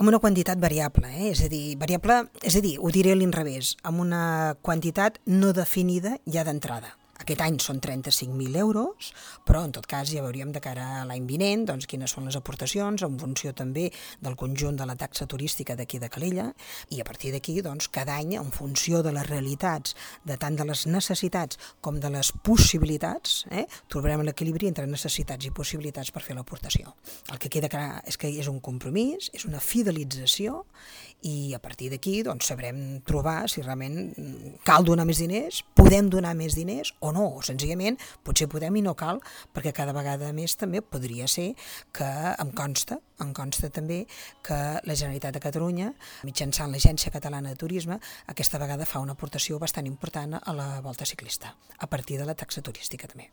amb una quantitat variable, és a dir, ho diré a l'inrevés, amb una quantitat no definida ja d'entrada. Aquest any són 35.000 euros, però en tot cas ja veuríem de cara a l'any vinent doncs, quines són les aportacions en funció també del conjunt de la taxa turística d'aquí de Calella, i a partir d'aquí doncs, cada any en funció de les realitats, de tant de les necessitats com de les possibilitats, trobarem l'equilibri entre necessitats i possibilitats per fer l'aportació. El que queda clar és que és un compromís, és una fidelització, i a partir d'aquí doncs, sabrem trobar si realment cal donar més diners, podem donar més diners o no, o senzillament potser podem i no cal, perquè cada vegada més també podria ser que em consta també que la Generalitat de Catalunya, mitjançant l'Agència Catalana de Turisme, aquesta vegada fa una aportació bastant important a la Volta Ciclista, a partir de la taxa turística també.